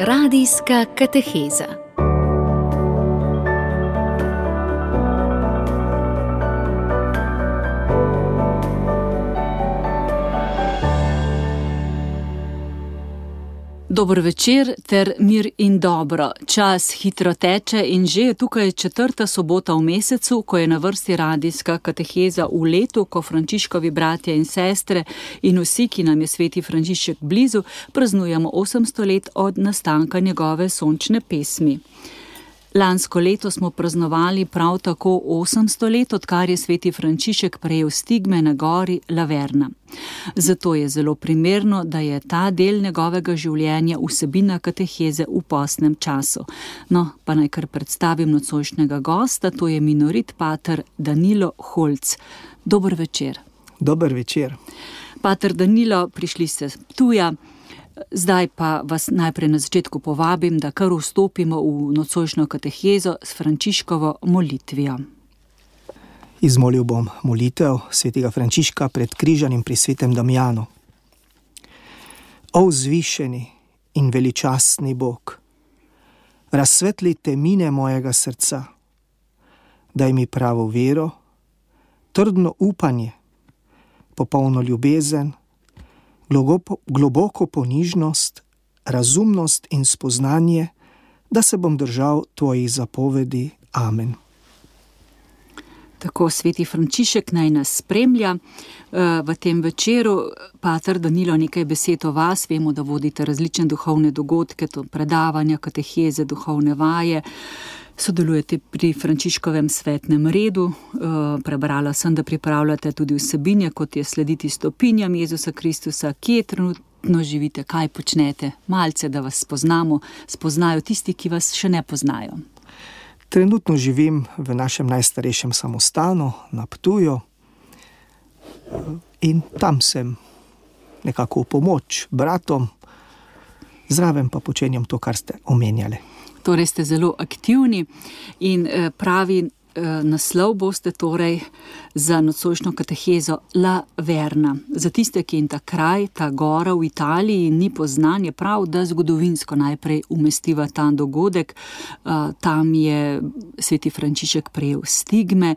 Radijska kateheza. Dober večer ter mir in dobro. Čas hitro teče in že je tukaj 4. sobota v mesecu, ko je na vrsti radijska kateheza v letu, ko Frančiškovi bratje in sestre in vsi, ki nam je sveti Frančišek blizu, praznujemo 800 let od nastanka njegove sončne pesmi. Lansko leto smo praznovali prav tako 800 let, odkar je sveti Frančišek prejel stigme na gori Laverna. Zato je zelo primerno, da je ta del njegovega življenja vsebina kateheze v postnem času. No, pa naj kar predstavim nocojšnjega gosta, to je minorit pater Danilo Holc. Dober večer. Dober večer. Pater Danilo, prišli ste z Ptuja. Zdaj pa vas najprej na začetku povabim, da kar vstopimo v nocojšnjo katehezo s Frančiškovo molitvijo. Izmolil bom molitev svetega Frančiška pred križanjem pri svetem Damjanu. O vzvišeni in veličastni Bog, razsvetli temine mojega srca, daj mi pravo vero, trdno upanje, popolno ljubezen, globoko ponižnost, razumnost in spoznanje, da se bom držal tvojih zapovedi. Amen. Tako sveti Frančišek naj nas spremlja v tem večeru. Pater Danilo, nekaj besed o vas. Vemo, da vodite različne duhovne dogodke, to predavanja, kateheze, duhovne vaje. Sodelujete pri Frančiškovem svetnem redu. Prebrala sem, da pripravljate tudi vsebine, kot je slediti stopinjam Jezusa Kristusa. Kje trenutno živite, kaj počnete? Malce, da vas spoznajo tisti, ki vas še ne poznajo. Trenutno živim v našem najstarejšem samostanu na Ptuju in tam sem nekako v pomoč bratom, zraven pa počenjam to, kar ste omenjali. Torej ste zelo aktivni in pravi naslov boste torej za nocojšnjo katehezo Laverna. Za tiste, ki jim ta kraj, ta gora v Italiji ni poznan, je prav, da zgodovinsko najprej umestiva ta dogodek. Tam je sveti Frančišek prejel stigme.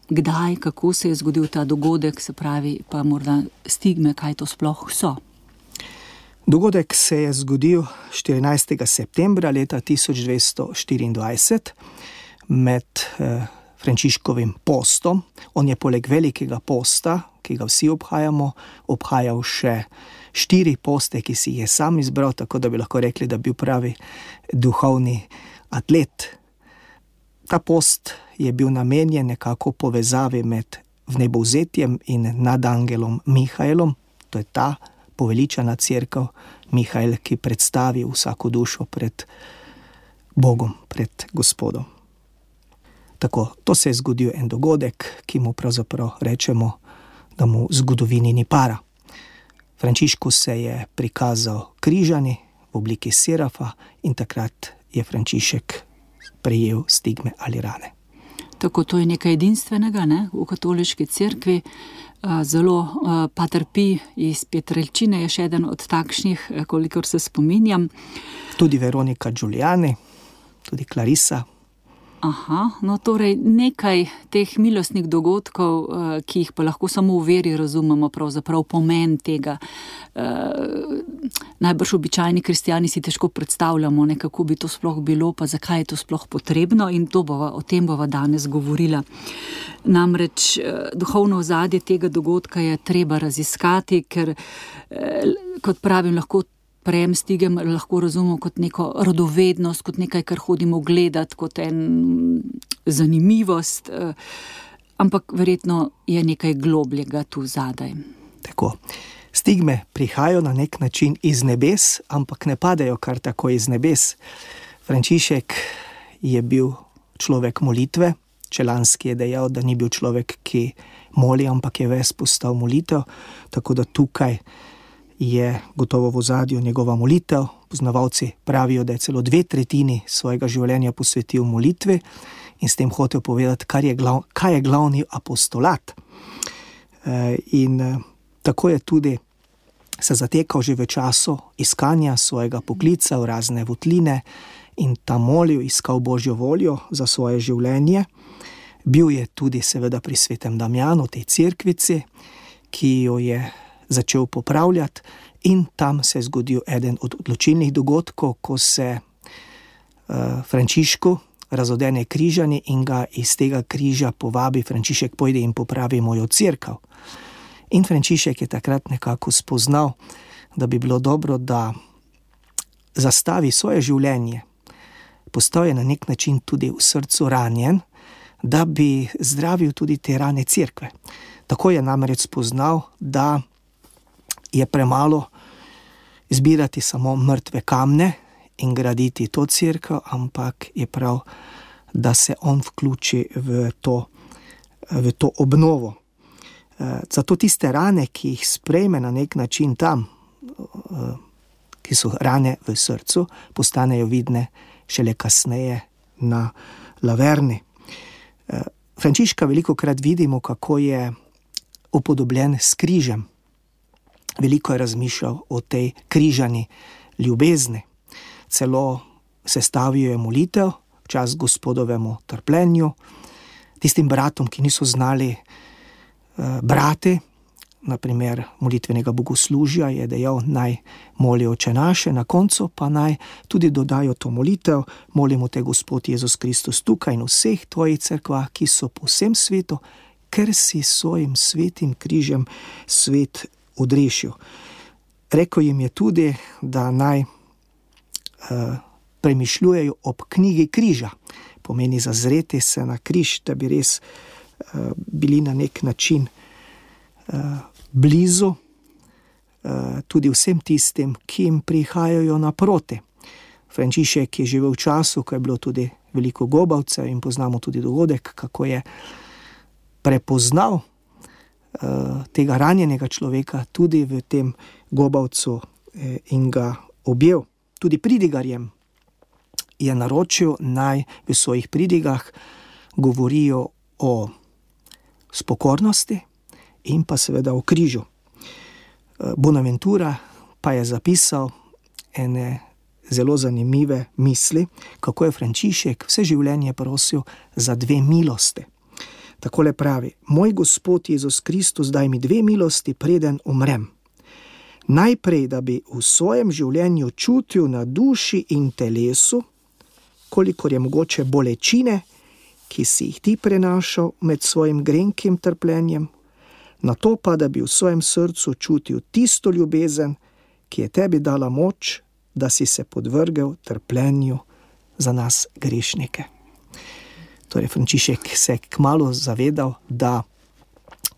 Kdaj, kako se je zgodil ta dogodek, se pravi pa morda stigme, kaj to sploh so? Dogodek se je zgodil 14. septembra leta 1224 med Frančiškovim postom. On je poleg velikega posta, ki ga vsi obhajamo, obhajal še 4 poste, ki si jih je sam izbral, tako da bi lahko rekli, da bi bil pravi duhovni atlet. Ta post je bil namenjen nekako povezavi med vnebovzetjem in nadangelom Mihaelom. To je ta poveličana cerkev Mihael, ki predstavi vsako dušo pred Bogom, pred Gospodom. Tako, to se je zgodil en dogodek, ki mu pravzaprav rečemo, da mu v zgodovini ni para. Frančišku se je prikazal križani v obliki serafa in takrat je Frančišek prejel stigme ali rane. Tako, to je nekaj edinstvenega, ne? V katoliški cerkvi. Zelo pater Pij iz Pietrelcine je še eden od takšnih, kolikor se spominjam. Tudi Veronika Giuliani, tudi Clarissa. Aha, no torej nekaj teh milostnih dogodkov, ki jih pa lahko samo v veri razumemo, pravzaprav pomen tega. Najbrž običajni kristjani si težko predstavljamo, kako bi to sploh bilo, pa zakaj je to sploh potrebno, in o tem bova danes govorila. Namreč duhovno ozadje tega dogodka je treba raziskati, ker, kot pravim, lahko prejem stigem lahko razumemo kot neko radovednost, kot nekaj, kar hodimo gledati, kot en zanimivost, ampak verjetno je nekaj globljega tu zadaj. Tako, stigme prihajajo na nek način iz nebes, ampak ne padajo kar tako iz nebes. Frančišek je bil človek molitve. Čelanski je dejal, da ni bil človek, ki moli, ampak je ves postal molitev, tako da tukaj je gotovo v ozadju njegova molitev. Poznavalci pravijo, da je celo 2/3 svojega življenja posvetil molitvi in s tem hotel povedati, kaj je glavni apostolat. In tako je tudi se zatekal že v času iskanja svojega poklica v razne votline in tam molil, iskal Božjo voljo za svoje življenje. Bil je tudi seveda pri svetem Damjanu, tej cerkvici, ki jo je začel popravljati, in tam se je zgodil eden od odločilnih dogodkov, ko se Frančišku razodene križanje in ga iz tega križa povabi: Frančišek, pojdi in popravi mojo cerkev. In Frančišek je takrat nekako spoznal, da bi bilo dobro, da zastavi svoje življenje. Postal je na nek način tudi v srcu ranjen, da bi zdravil tudi te rane cerkve. Tako je namreč spoznal, da je premalo zbirati samo mrtve kamne in graditi to cerkev, ampak je prav, da se on vključi v to obnovo. Zato tiste rane, ki jih sprejme na nek način tam, ki so rane v srcu, postanejo vidne šele kasneje na Laverni. Frančiška velikokrat vidimo, kako je upodobljen s križem. Veliko je razmišljal o tej križani ljubezni. Celo sestavil je molitev v čas Gospodovemu trpljenju. Tistim bratom, ki niso znali brati, naprimer molitvenega bogoslužja, je dejal, naj molijo Oče naše, na koncu pa naj tudi dodajo to molitev: molimo te, Gospod Jezus Kristus, tukaj in vseh tvojih cerkvah, ki so po vsem svetu, ker si svojim svetim križem svet odrešil. Rekel jim je tudi, da naj premišljujejo ob knjigi križa. Pomeni zazreti se na križ, da bi res bili na nek način blizu tudi vsem tistim, ki jim prihajajo naproti. Frančišek je živel v času, ko je bilo tudi veliko gobavcev, in poznamo tudi dogodek, kako je prepoznal tega ranjenega človeka tudi v tem gobavcu in ga objel. Tudi pridigarjem je naročil, naj v svojih pridigah govorijo o spokornosti in pa seveda o križu. Bonaventura pa je zapisal ene zelo zanimive misli, kako je Frančišek vse življenje prosil za 2 milosti. Takole pravi: moj Gospod Jezus Kristus, daj mi 2 milosti, preden umrem. Najprej, da bi v svojem življenju čutil na duši in telesu, kolikor je mogoče, bolečine, ki si jih ti prenašal med svojim grenkim trpljenjem, na to pa, da bi v svojem srcu čutil tisto ljubezen, ki je tebi dala moč, da si se podvrgel trpljenju za nas grešnike. Torej, Frančišek se je kmalu zavedal, da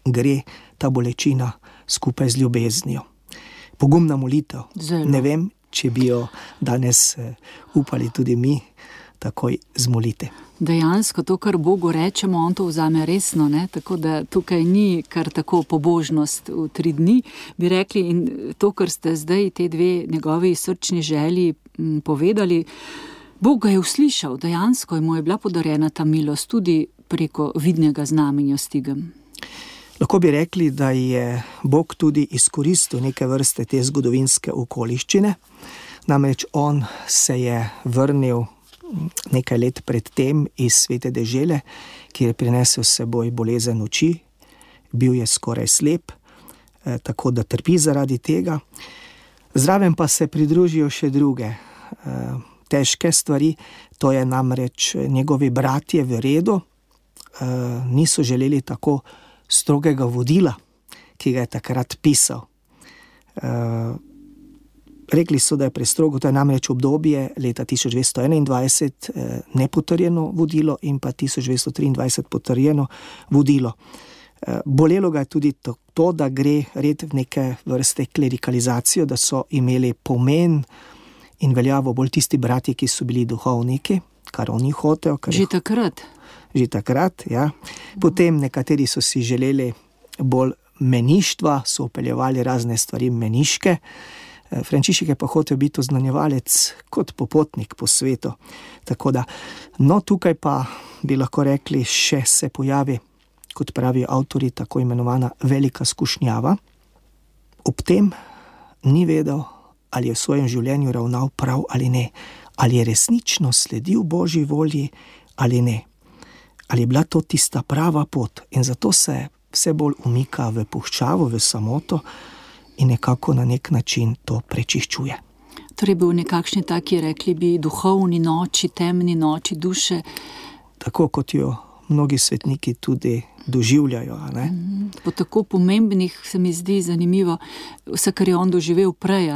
gre ta bolečina skupaj z ljubeznijo. Pogumna molitev. Zelo. Ne vem, če bi jo danes upali tudi mi takoj zmoliti. Dejansko to, kar Bogu rečemo, on to vzame resno, ne? Tako da tukaj ni kar tako pobožnost v 3 dni, bi rekli, in to, kar ste zdaj te 2 njegovi srčni želji povedali, Bog ga je uslišal, dejansko mu je bila podarjena ta milost tudi preko vidnega znamenja s Stigom. Lahko bi rekli, da je Bog tudi izkoristil neke vrste te zgodovinske okoliščine. Namreč on se je vrnil nekaj let pred tem iz svete dežele, kjer je prinesel s seboj bolezen oči, bil je skoraj slep, tako da trpi zaradi tega. Zraven pa se pridružijo še druge težke stvari, to je namreč njegovi bratje v redu niso želeli tako strogega vodila, ki ga je takrat pisal. Rekli so, da je prestrogo, to je namreč obdobje leta 1221 nepotrjeno vodilo in pa 1223 potrjeno vodilo. Bolelo ga je tudi to, da gre red v neke vrste klerikalizacijo, da so imeli pomen in veljavo bolj tisti bratje, ki so bili duhovniki, kar oni hotejo. Že takrat, ja. Potem nekateri so si želeli bolj meništva, so upeljevali razne stvari meniške. Frančišek je pa hotel biti oznanjevalec kot popotnik po svetu. Tako da, no tukaj pa bi lahko rekli, še se pojavi, kot pravijo avtori, tako imenovana velika skušnjava. Ob tem ni vedel, ali je v svojem življenju ravnal prav ali ne, ali je resnično sledil Božji volji ali ne, ali je bila to tista prava pot, in zato se vse bolj umika v puščavo, v samoto in nekako na nek način to prečiščuje. Torej bil nekakšni taki, rekli bi, duhovni noči, temni noči duše. Tako kot jo mnogi svetniki tudi doživljajo. Ne? Po tako pomembnih se mi zdi zanimivo vse, kar je on doživel prej,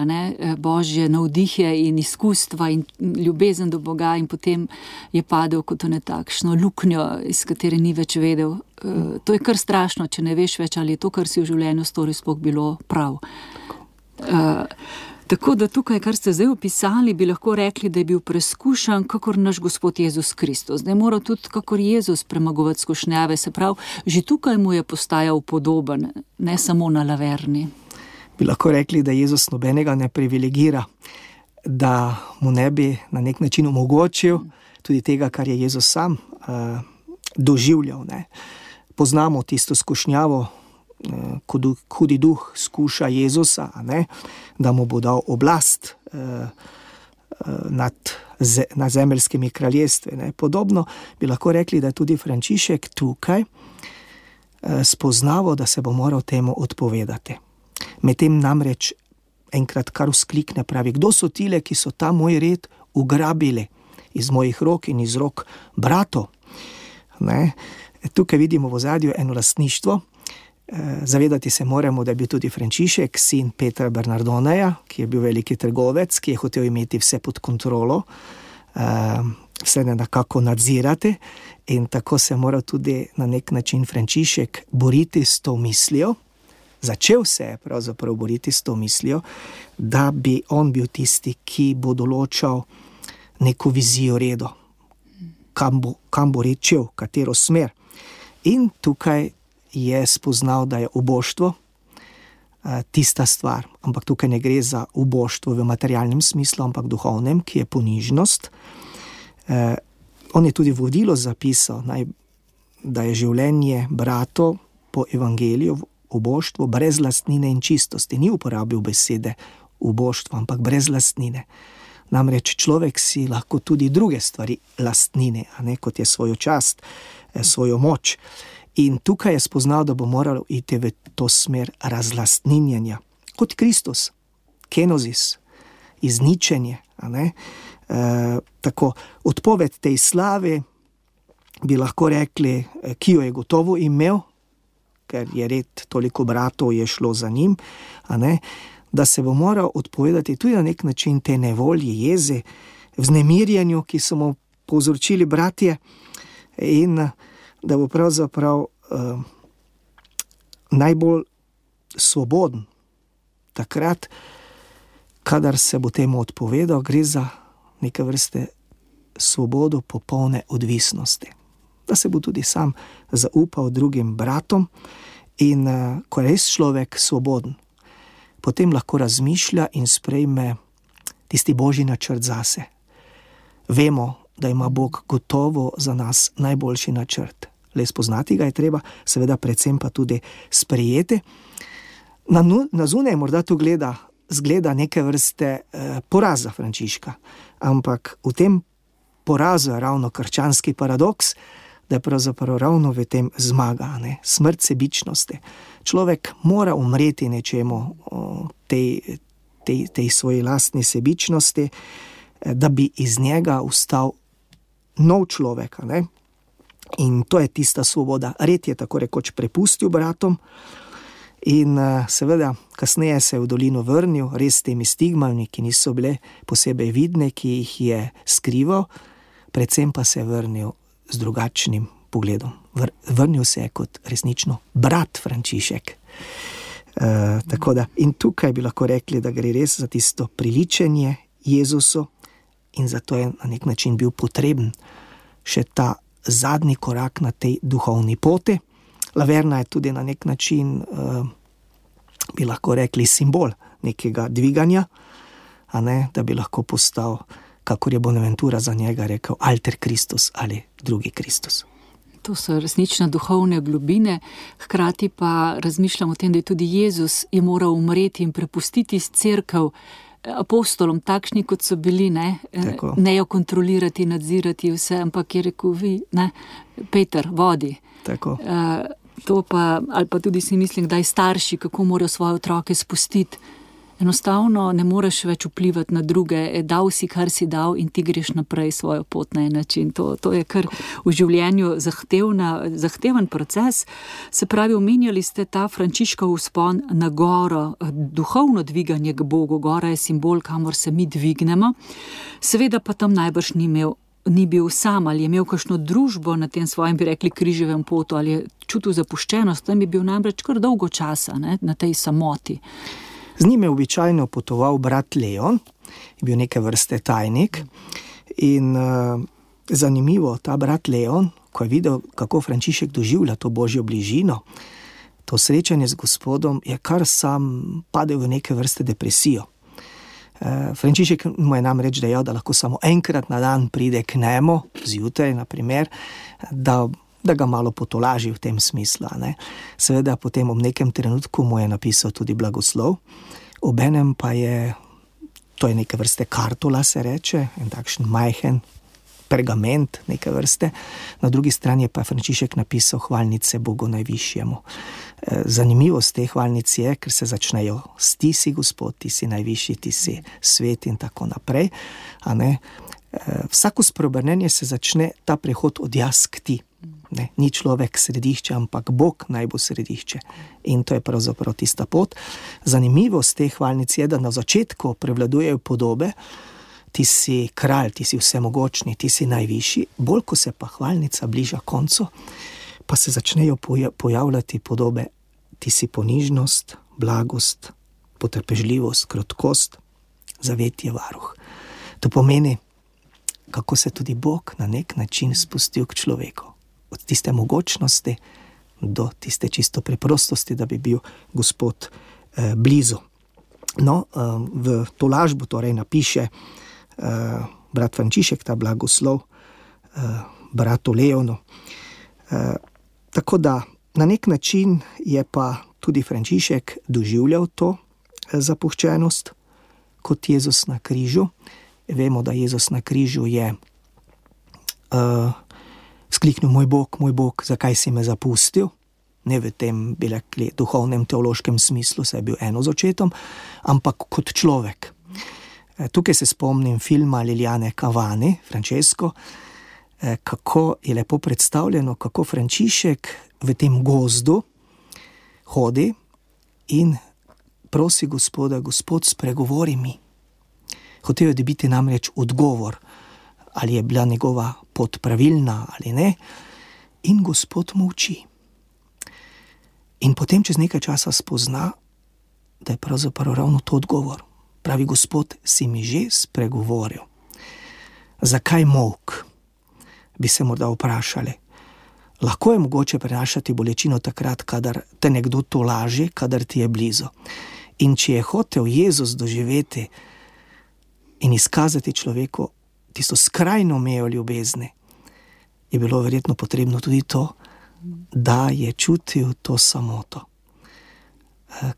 Božje navdihje in izkustva in ljubezen do Boga, in potem je padel kot v netakšno luknjo, iz katere ni več vedel. To je kar strašno, če ne veš več, ali je to, kar si v življenju storil, sploh bilo prav. Tako da tukaj, kar ste zdaj opisali, bi lahko rekli, da je bil preskušan kakor naš Gospod Jezus Kristus. Da je moral tudi kakor Jezus premagovati skušnjave, se pravi, že tukaj mu je postajal podoben, ne samo na Laverni. Bi lahko rekli, da Jezus nobenega ne privilegira, da mu ne bi na nek način omogočil tudi tega, kar je Jezus sam doživljal. Ne? Poznamo tisto skušnjavo, ko hudi duh skuša Jezusa, da mu bo dal oblast nad zemeljskimi kraljestvi. Podobno bi lahko rekli, da je tudi Frančišek tukaj spoznaval, da se bo moral temu odpovedati. Medtem namreč enkrat kar vzklikne, pravi: kdo so tile, ki so ta moj red ugrabili iz mojih rok in iz rok bratov? Tukaj vidimo v ozadju eno lastništvo. Zavedati se moramo, da je bil tudi Frančišek sin Petra Bernardoneja, ki je bil veliki trgovec, ki je hotel imeti vse pod kontrolo, vse nekako nadzirati, in tako se mora tudi na nek način Frančišek boriti s to mislijo. Začel se je pravzaprav boriti s to mislijo, da bi on bil tisti, ki bo določal neko vizijo redo, kam bo rečel, katero smer. In tukaj je spoznal, da je uboštvo tista stvar, ampak tukaj ne gre za uboštvo v materialnem smislu, ampak duhovnem, ki je ponižnost. On je tudi vodilo zapisal, da je življenje bratov po evangeliju uboštvo brez lastnine in čistosti. Ni uporabil besede uboštvo, ampak brez lastnine. Namreč človek si lahko tudi druge stvari lastnine, kot je svojo čast, svojo moč. In tukaj je spoznal, da bo moral iti v to smer razlastninjenja. Kot Kristus, kenozis, izničenje. Tako, odpoved tej slavi, bi lahko rekli, ki jo je gotovo imel, ker je red toliko bratov je šlo za njim, da se bo moral odpovedati tudi na nek način te nevolji, jeze, vznemirjenju, ki so mu povzročili bratje, in da bo pravzaprav najbolj svoboden takrat, kadar se bo temu odpovedal. Gre za neke vrste svobodo popolne odvisnosti. Da se bo tudi sam zaupal drugim bratom, in ko je res človek svoboden, potem lahko razmišlja in sprejme tisti Božji načrt zase. Vemo, da ima Bog gotovo za nas najboljši načrt. Le spoznati ga je treba, seveda predvsem pa tudi sprejeti. Na zunaj morda to zgleda neke vrste poraza Frančiška, ampak v tem porazu je ravno krščanski paradoks, da je pravzaprav ravno v tem zmaga, smrt sebičnosti. Človek mora umreti nečemu, tej svoji lastni sebičnosti, da bi iz njega ustal nov človek. In to je tista svoboda. Red je tako rekoč prepustil bratom in seveda kasneje se je v dolino vrnil, res s temi stigmami, ki niso bile posebej vidne, ki jih je skrival, predvsem pa se je vrnil z drugačnim pogledom. Vrnil se je kot resnično brat Frančišek. Tako da, in tukaj bi lahko rekli, da gre res za tisto priličenje Jezusu, in zato je na nek način bil potreben še ta zadnji korak na tej duhovni poti. Laverna je tudi na nek način, bi lahko rekli, simbol nekega dviganja, da bi lahko postal, kakor je Bonaventura za njega rekel, alter Kristus ali drugi Kristus. To so resnično duhovne globine, hkrati pa razmišljam o tem, da je tudi Jezus je moral umreti in prepustiti cerkev apostolom, takšni kot so bili, ne jo kontrolirati, nadzirati vse, ampak je rekel Peter, vodi. Tako. To pa, ali pa tudi si mislim, da starši, kako morajo svoje otroke spustiti. Enostavno ne moreš več vplivati na druge, dal si, kar si dal in ti greš naprej svojo pot na en način. To je kar v življenju zahteven proces. Se pravi, omenjali ste ta Frančiškov vzpon na goro, duhovno dviganje k Bogu. Gora je simbol, kamor se mi dvignemo. Seveda pa tam najbrž ni bil sam, ali je imel kakšno družbo na tem svojem, bi rekli, križevem potu, ali je čutil zapuščenost, tam je bil namreč kar dolgo časa, na tej samoti. Z njim je običajno potoval brat Leon, je bil neke vrste tajnik in zanimivo, ta brat Leon, ko je videl, kako Frančišek doživlja to božjo bližino, to srečanje z Gospodom, je kar sam padel v neke vrste depresijo. Frančišek mu je namreč dejal, da lahko samo enkrat na dan pride k njemu, zjutraj na primer, da ga malo potolaži v tem smislu. Seveda potem ob nekem trenutku mu je napisal tudi blagoslov, obenem pa to je neke vrste kartula, se reče, en takšen majhen pergament neke vrste, na drugi strani pa je Frančišek napisal hvalnice Bogu najvišjemu. Zanimivost te hvalnic je, ker se začnejo s ti si Gospod, ti si najvišji, ti si svet in tako naprej. Vsako spreobrnenje se začne ta prehod od jaz k ti. Ni človek središče, ampak Bog naj bo središče. In to je pravzaprav tista pot. Zanimivost te hvalnic je, da na začetku prevladujejo podobe, ti si kralj, ti si vsemogočni, ti si najvišji, bolj ko se pa hvalnica bliža koncu, pa se začnejo pojavljati podobe, ti si ponižnost, blagost, potrpežljivost, krotkost, zavetje varuh. To pomeni, kako se tudi Bog na nek način spustil k človeku. Od tiste mogočnosti do tiste čisto preprostosti, da bi bil Gospod blizu. V tolažbo torej napiše brat Frančišek ta blagoslov bratu Leonu. Tako da na nek način je pa tudi Frančišek doživljal to zapuščenost kot Jezus na križu. Vemo, da Jezus na križu je skliknil, moj Bog, zakaj si me zapustil? Ne v tem, bi rekli, duhovnem, teološkem smislu, saj je bil eno z očetom, ampak kot človek. Tukaj se spomnim filma Liliane Cavani, Francesco, kako je lepo predstavljeno, kako Frančišek v tem gozdu hodi in prosi Gospoda, Gospod, spregovori mi. Hotel je dobiti namreč odgovor, ali je bila njegova pot pravilna ali ne, in Gospod molči. In potem čez nekaj časa spozna, da je pravzaprav ravno to odgovor. Pravi, Gospod, si mi že spregovoril. Zakaj molk? Bi se morda vprašali. Lahko je mogoče prenašati bolečino takrat, kadar te nekdo tolaži, kadar ti je blizu. In če je hotel Jezus doživeti in izkazati človeku tisto skrajno mejo ljubezni, je bilo verjetno potrebno tudi to, da je čutil to samoto,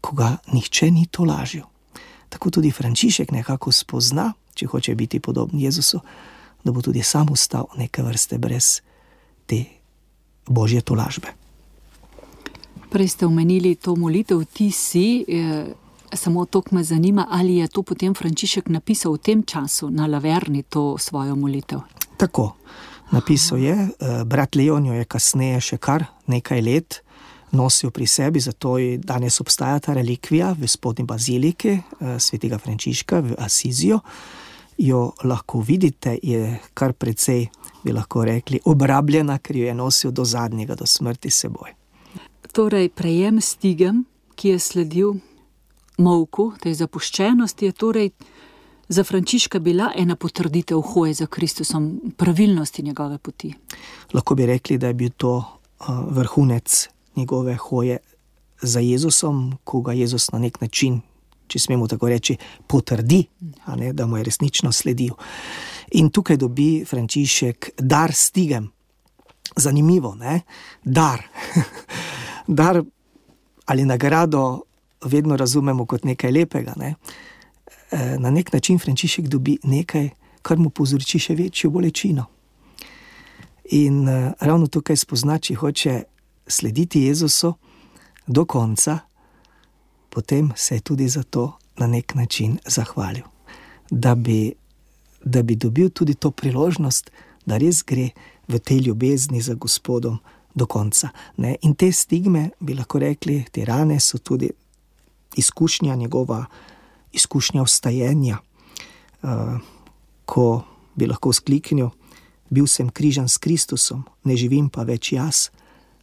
ko ga nihče ni tolažil. Tako tudi Frančišek nekako spozna, če hoče biti podoben Jezusu, da bo tudi sam ostal neke vrste brez te božje tolažbe. Prej ste omenili to molitev, ti si, samo to me zanima, ali je to potem Frančišek napisal v tem času na Laverni, to svojo molitev? Tako, napisal je, brat Leon jo je kasneje še kar nekaj let nosil pri sebi, zato je danes obstaja ta relikvija v spodnji baziliki svetega Frančiška v Asizijo. Jo lahko vidite, je kar precej, bi lahko rekli, obrabljena, ker jo je nosil do zadnjega, do smrti seboj. Torej, prejem stigem, ki je sledil molku, tej zapuščenosti, je torej za Frančiška bila ena potrditev hoje za Kristusom, pravilnosti njegove poti. Lahko bi rekli, da je bil to vrhunec njegove hoje za Jezusom, ko ga Jezus na nek način, če smemo tako reči, potrdi, da mu je resnično sledil. In tukaj dobi Frančišek dar stigem. Zanimivo, ne? Dar. Dar ali nagrado vedno razumemo kot nekaj lepega, ne? Na nek način Frančišek dobi nekaj, kar mu povzroči še večjo bolečino. In ravno tukaj spozna, če hoče slediti Jezusu do konca, potem se je tudi za to na nek način zahvalil. Da bi dobil tudi to priložnost, da res gre v tej ljubezni za Gospodom do konca. Ne? In te stigme, bi lahko rekli, te rane so tudi izkušnja, njegova izkušnja vstajenja, ko bi lahko vzkliknil: bil sem križan s Kristusom, ne živim pa več jaz,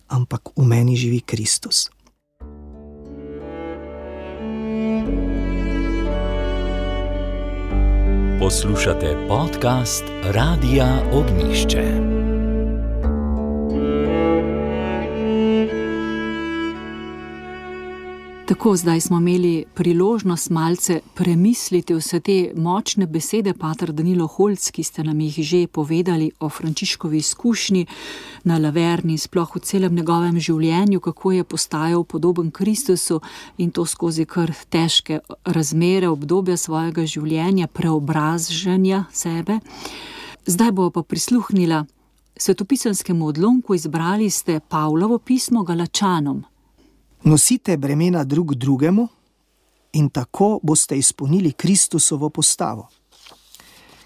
ampak v meni živi Kristus. Poslušate podcast Radia Ognjišče. Tako, zdaj smo imeli priložnost malce premisliti vse te močne besede, pater Danilo Holc, ki ste nam jih že povedali o Frančiškovi izkušnji na Laverni, sploh v celem njegovem življenju, kako je postajal podoben Kristusu in to skozi kar težke razmere, obdobja svojega življenja, preobražanja sebe. Zdaj bo pa prisluhnila svetopisanskemu odlomku, izbrali ste Pavlovo pismo Galačanom. Nosite bremena drug drugemu in tako boste izpolnili Kristusovo postavo.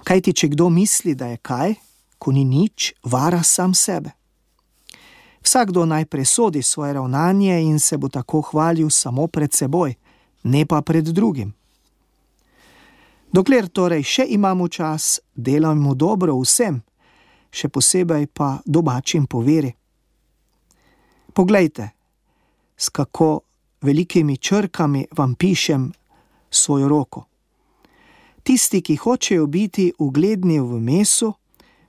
Kajti, če kdo misli, da je kaj, ko ni nič, vara sam sebe. Vsakdo naj presodi svoje ravnanje in se bo tako hvalil samo pred seboj, ne pa pred drugim. Dokler torej še imamo čas, delajmo dobro vsem, še posebej pa domačim po veri. Poglejte, s kako velikimi črkami vam pišem svojo roko. Tisti, ki hočejo biti ugledni v mesu,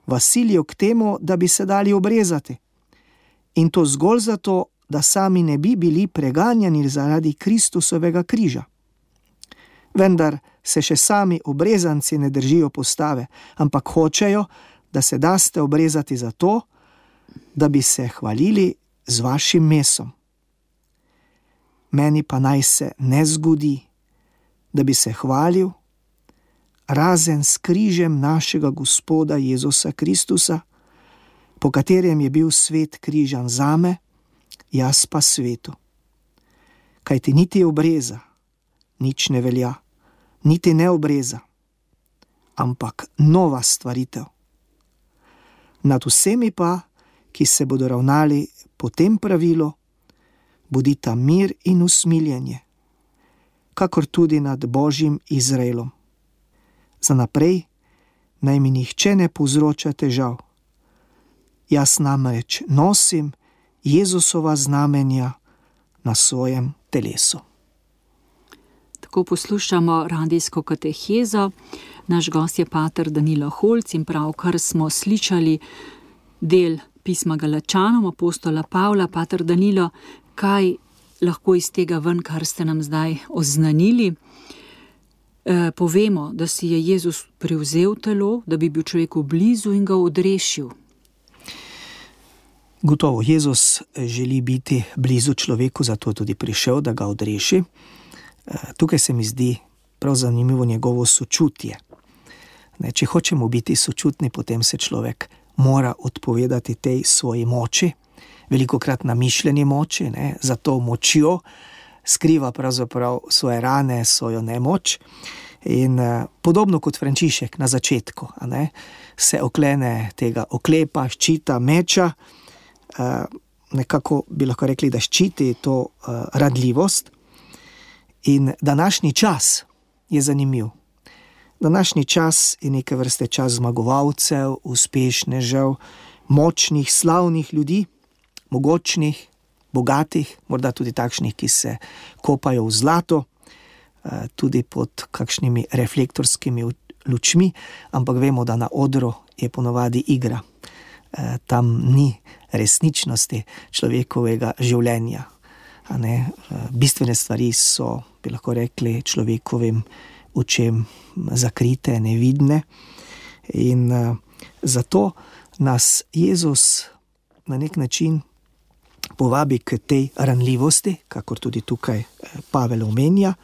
vas silijo k temu, da bi se dali obrezati. In to zgolj zato, da sami ne bi bili preganjani zaradi Kristusovega križa. Vendar se še sami obrezanci ne držijo postave, ampak hočejo, da se daste obrezati zato, da bi se hvalili z vašim mesom. Meni pa naj se ne zgodi, da bi se hvalil, razen s križem našega Gospoda Jezusa Kristusa, po katerem je bil svet križan zame, jaz pa svetu. Kajti niti obreza nič ne velja, niti ne obreza, ampak nova stvaritev. Nad vsemi pa, ki se bodo ravnali po tem pravilu, bodita mir in usmiljenje, kakor tudi nad Božjim Izraelom. Za naprej naj mi nihče ne povzroča težav. Jaz namreč nosim Jezusova znamenja na svojem telesu. Tako poslušamo radijsko katehezo. Naš gost je pater Danilo Holc in pravkar smo slišali del pisma Galačanom apostola Pavla. Pater Danilo, kaj lahko iz tega ven, kar ste nam zdaj oznanili? Povemo, da si je Jezus prevzel telo, da bi bil človeku blizu in ga odrešil. Gotovo, Jezus želi biti blizu človeku, zato tudi prišel, da ga odreši. Tukaj se mi zdi prav zanimivo njegovo sočutje. Če hočemo biti sočutni, potem se človek mora odpovedati tej svoji moči, velikokrat namišljeni moči, za to močjo skriva pravzaprav svoje rane, svojo nemoč. In podobno kot Frančišek na začetku, se oklene tega oklepa, ščita, meča, nekako bi lahko rekli, da ščiti to radljivost. In današnji čas je zanimiv. Današnji čas je neke vrste čas zmagovalcev, uspešnežev, močnih, slavnih ljudi, mogočnih, bogatih, morda tudi takšnih, ki se kopajo v zlato, tudi pod kakšnimi reflektorskimi lučmi, ampak vemo, da na odru je ponavadi igra. Tam ni resničnosti človekovega življenja. Bistvene stvari so, bi lahko rekli, človekovim očem zakrite, nevidne. In zato nas Jezus na nek način povabi k tej ranljivosti, kakor tudi tukaj Pavel omenja,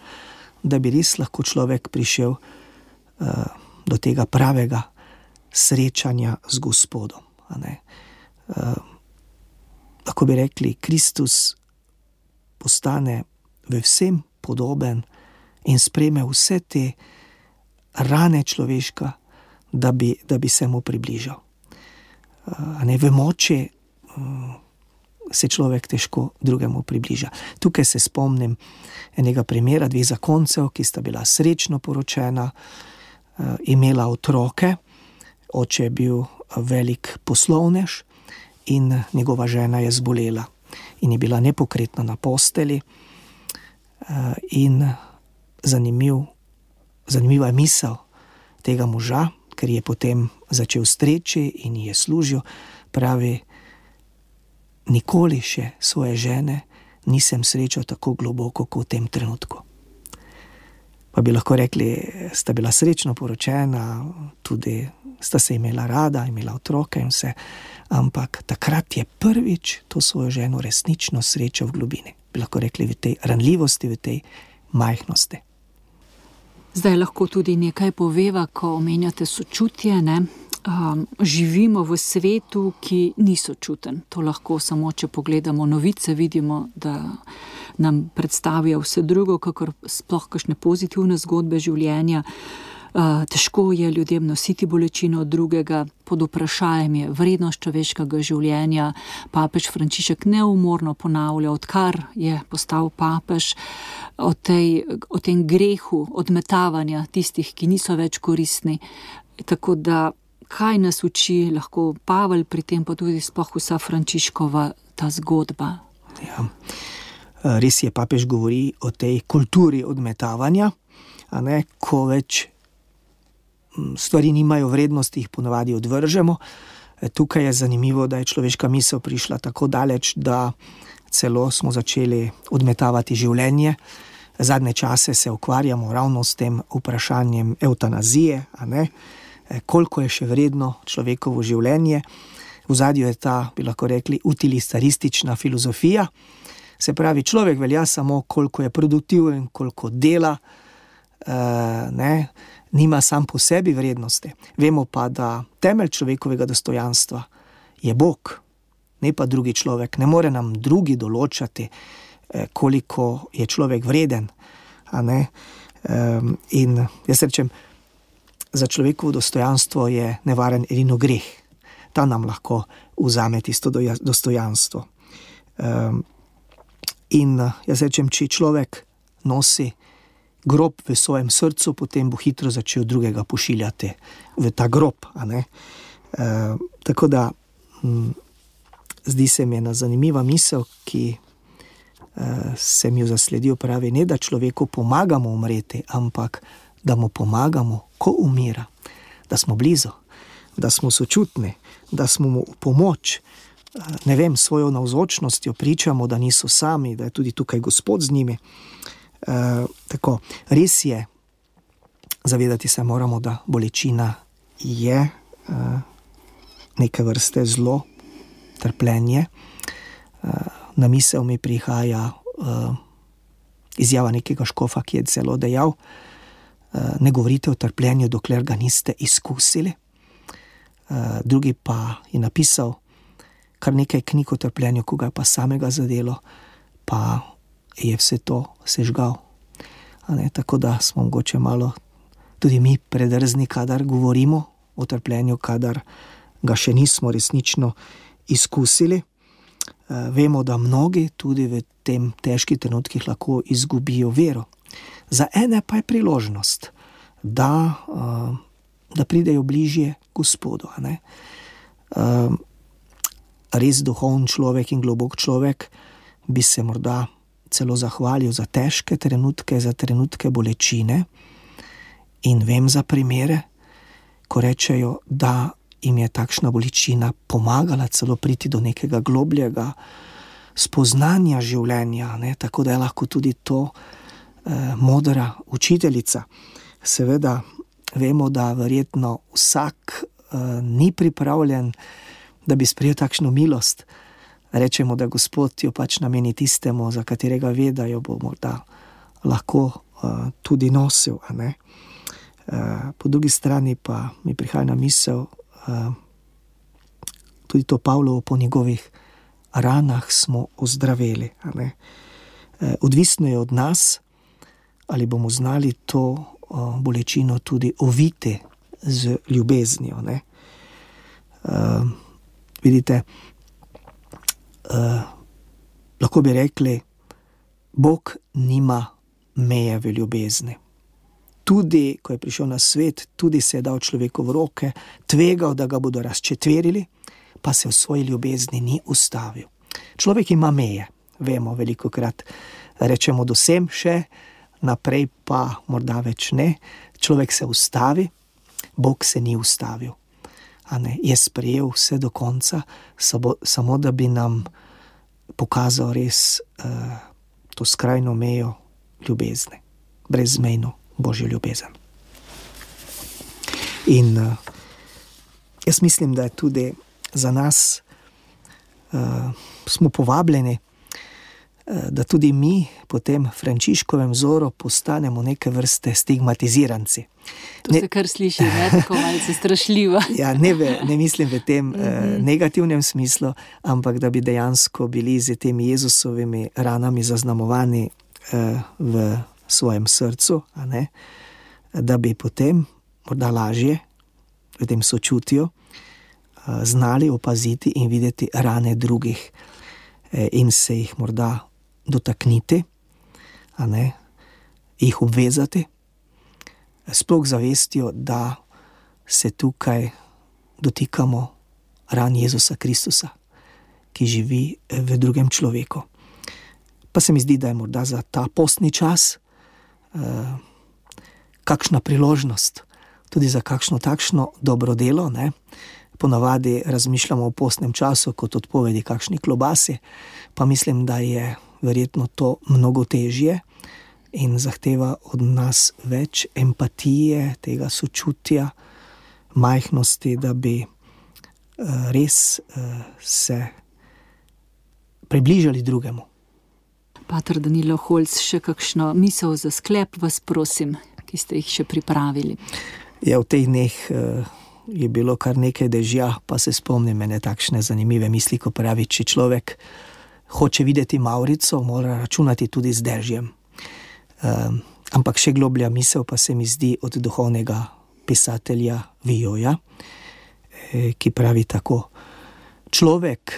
da bi res lahko človek prišel do tega pravega srečanja z Gospodom. Lahko bi rekli, Kristus postane v vsem podoben in sprejme vse te rane človeška, da bi se mu približal. V moči se človek težko drugemu približa. Tukaj se spomnim enega primera 2 zakoncev, ki sta bila srečno poročena, imela otroke, oče je bil velik poslovnež in njegova žena je zbolela in je bila nepokretna na posteli. In zanimiva je misel tega moža, ker je potem začel streči in je služil, pravi, nikoli še svoje žene nisem srečal tako globoko kot v tem trenutku. Pa bi lahko rekli, sta bila srečno poročena, tudi sta se imela rada, imela otroke in vse, ampak takrat je prvič to svojo ženo resnično srečal v globini. Bi lahko rekli, v tej ranljivosti, v tej majhnosti. Zdaj lahko tudi nekaj poveva, ko omenjate sočutje, ne? Živimo v svetu, ki ni sočuten. To lahko samo, če pogledamo novice, vidimo, da nam predstavijo vse drugo, kakor sploh kakšne pozitivne zgodbe življenja. Težko je ljudem nositi bolečino od drugega, pod vprašajem je vrednost človeškega življenja. Papež Frančišek neumorno ponavlja, odkar je postal papež, o tem grehu odmetavanja tistih, ki niso več koristni. Tako da, kaj nas uči lahko Pavel pri tem, pa tudi sploh vsa Frančiškova ta zgodba? Ja. Res je, papež govori o tej kulturi odmetavanja, ko več stvari nimajo vrednosti, jih ponavadi odvržemo. Tukaj je zanimivo, da je človeška misel prišla tako daleč, da celo smo začeli odmetavati življenje. Zadnje čase se ukvarjamo ravno s tem vprašanjem evtanazije, koliko je še vredno človekovo življenje. V ozadju je ta, bi lahko rekli, utilitaristična filozofija. Se pravi, človek velja samo, koliko je produktiven, koliko dela, nima sam po sebi vrednosti. Vemo pa, da temelj človekovega dostojanstva je Bog, ne pa drugi človek. Ne more nam drugi določati, koliko je človek vreden. In jaz rečem, za človekovo dostojanstvo je nevaren edino greh. Ta nam lahko vzame tisto dostojanstvo. In jaz rečem, če človek nosi grob v svojem srcu, potem bo hitro začel drugega pošiljati v ta grob. Tako da zdi se mi ena zanimiva misel, ki sem jo zasledil, pravi, ne da človeku pomagamo umreti, ampak da mu pomagamo, ko umira, da smo blizu, da smo sočutni, da smo mu v pomoč, svojo navzočnostjo pričamo, da niso sami, da je tudi tukaj Gospod z njimi. Tako, res je, zavedati se moramo, da bolečina je neke vrste zlo, trpljenje. Na misel mi prihaja izjava nekega škofa, ki je celo dejal, ne govorite o trpljenju, dokler ga niste izkusili. Drugi pa je napisal kar nekaj knjig o trpljenju, ko ga je pa samega zadelo, pa je vse to sežgal. Tako da smo mogoče malo tudi mi predrzni, kadar govorimo o trpljenju, kadar ga še nismo resnično izkusili. Vemo, da mnogi tudi v tem težkih trenutkih lahko izgubijo vero. Za ene pa je priložnost, da pridejo bližje Gospodu. Res duhoven človek in globok človek bi se morda celo zahvalil za težke trenutke, za trenutke bolečine. In vem za primere, ko rečejo, da jim je takšna bolečina pomagala celo priti do nekega globljega spoznanja življenja, tako da je lahko tudi to modra učiteljica. Seveda vemo, da verjetno vsak ni pripravljen da bi sprejel takšno milost. Rečemo, da Gospod jo pač nameni tistemu, za katerega ve, da jo bo morda lahko tudi nosil. A ne? Po drugi strani pa mi prihaja na misel tudi to Pavlovo, po njegovih ranah smo ozdraveli. A ne? Odvisno je od nas, ali bomo znali to bolečino tudi oviti z ljubeznijo. Ne? Vidite, lahko bi rekli, Bog nima meje v ljubezni. Tudi, ko je prišel na svet, tudi se je dal človeku v roke, tvegal, da ga bodo razčetverili, pa se v svoji ljubezni ni ustavil. Človek ima meje, vemo, velikokrat rečemo do sem še, naprej pa morda več ne. Človek se ustavi, Bog se ni ustavil. A ne, je sprejel vse do konca, samo da bi nam pokazal res to skrajno mejo ljubezni, brezmejno Božjo ljubezen. In jaz mislim, da je tudi za nas, smo povabljeni, da tudi mi po tem Frančiškovem vzoru postanemo neke vrste stigmatiziranci. To se kar sliši, ne, tako malce strašljivo. Ja, ne mislim v tem negativnem smislu, ampak da bi dejansko bili z temi Jezusovimi ranami zaznamovani v svojem srcu, a ne? Da bi potem morda lažje v tem sočutju znali opaziti in videti rane drugih in se jih morda dotakniti, a ne, jih obvezati, sploh zavestjo, da se tukaj dotikamo ran Jezusa Kristusa, ki živi v drugem človeku. Pa se mi zdi, da je morda za ta postni čas kakšna priložnost, tudi za kakšno takšno dobro delo, ne. Ponavadi razmišljamo o postnem času kot odpovedi kakšni klobasi, pa mislim, da je verjetno to mnogo težje in zahteva od nas več empatije, tega sočutja, majhnosti, da bi res se približali drugemu. Pater Danilo Holc, še kakšno misel za sklep vas prosim, ki ste jih še pripravili? Ja, v teh dneh je bilo kar nekaj dežja, pa se spomnim ene takšne zanimive misli, ko pravi, če človek hoče videti Mavrico, mora računati tudi z dežjem. Ampak še globlja misel pa se mi zdi od duhovnega pisatelja Vijoja, ki pravi tako: človek,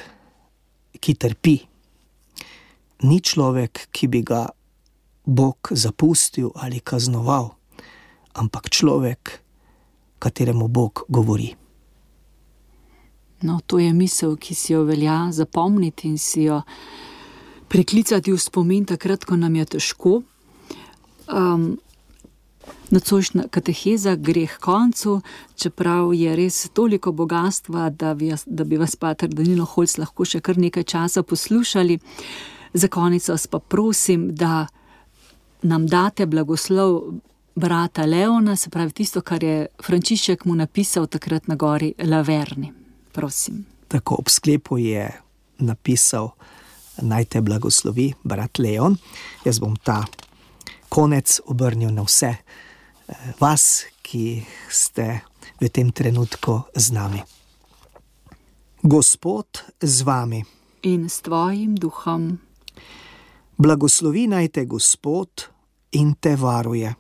ki trpi, ni človek, ki bi ga Bog zapustil ali kaznoval, ampak človek, kateremu Bog govori. No, to je misel, ki si jo velja zapomniti in si jo priklicati v spomin takrat, ko nam je težko. Nocojšnja kateheza gre k koncu, čeprav je res toliko bogatstva, da bi vas, Pater Danilo Holc, lahko še kar nekaj časa poslušali. Za konec vas pa prosim, da nam date blagoslov brata Leona, se pravi tisto, kar je Frančišek mu napisal takrat na gori Laverni. Prosim. Tako, ob sklepu je napisal: naj te blagoslovi brat Leon. Jaz bom ta konec obrnil na vse vas, ki ste v tem trenutku z nami. Gospod z vami. In s tvojim duhom. Blagoslovi naj te Gospod in te varuje.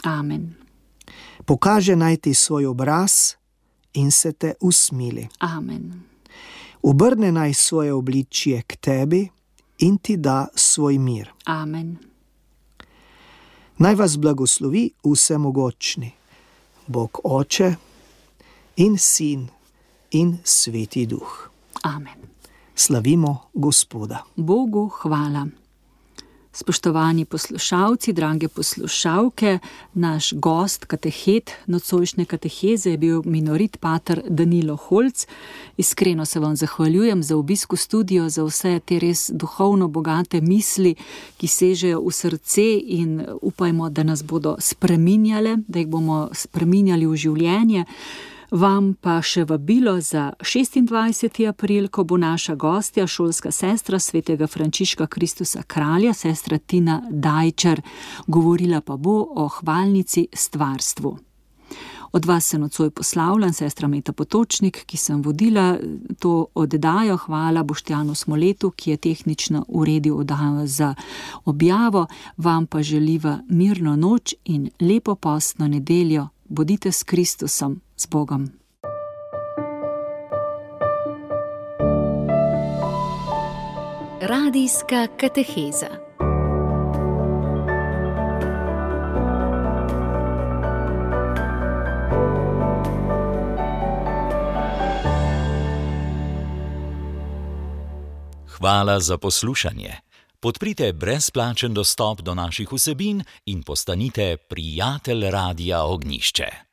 Amen. Pokaže naj ti svoj obraz in se te usmili. Amen. Obrne naj svoje obličje k tebi in ti da svoj mir. Amen. Naj vas blagoslovi vsemogočni, Bog Oče in Sin in Sveti Duh. Amen. Slavimo Gospoda. Bogu hvala. Spoštovani poslušalci, drage poslušalke, naš gost, katehet nocojšnje kateheze je bil minorit pater Danilo Holc. Iskreno se vam zahvaljujem za obisk v studio, za vse te res duhovno bogate misli, ki sežejo v srce in upajmo, da nas bodo spreminjale, da jih bomo spreminjali v življenje. Vam pa še vabilo za 26. april, ko bo naša gostja, šolska sestra svetega Frančiška Kristusa Kralja, sestra Tina Dajčar, govorila pa bo o hvalnici stvarstvu. Od vas se nocoj poslavljam, sestra Meta Potočnik, ki sem vodila to oddajo. Hvala Boštjanu Smoletu, ki je tehnično uredil oddajo za objavo. Vam pa želiva mirno noč in lepo postno nedeljo. Bodite s Kristusom, z Bogom. Radijska kateheza. Hvala za poslušanje. Podprite brezplačen dostop do naših vsebin in postanite prijatelj Radia Ognjišče.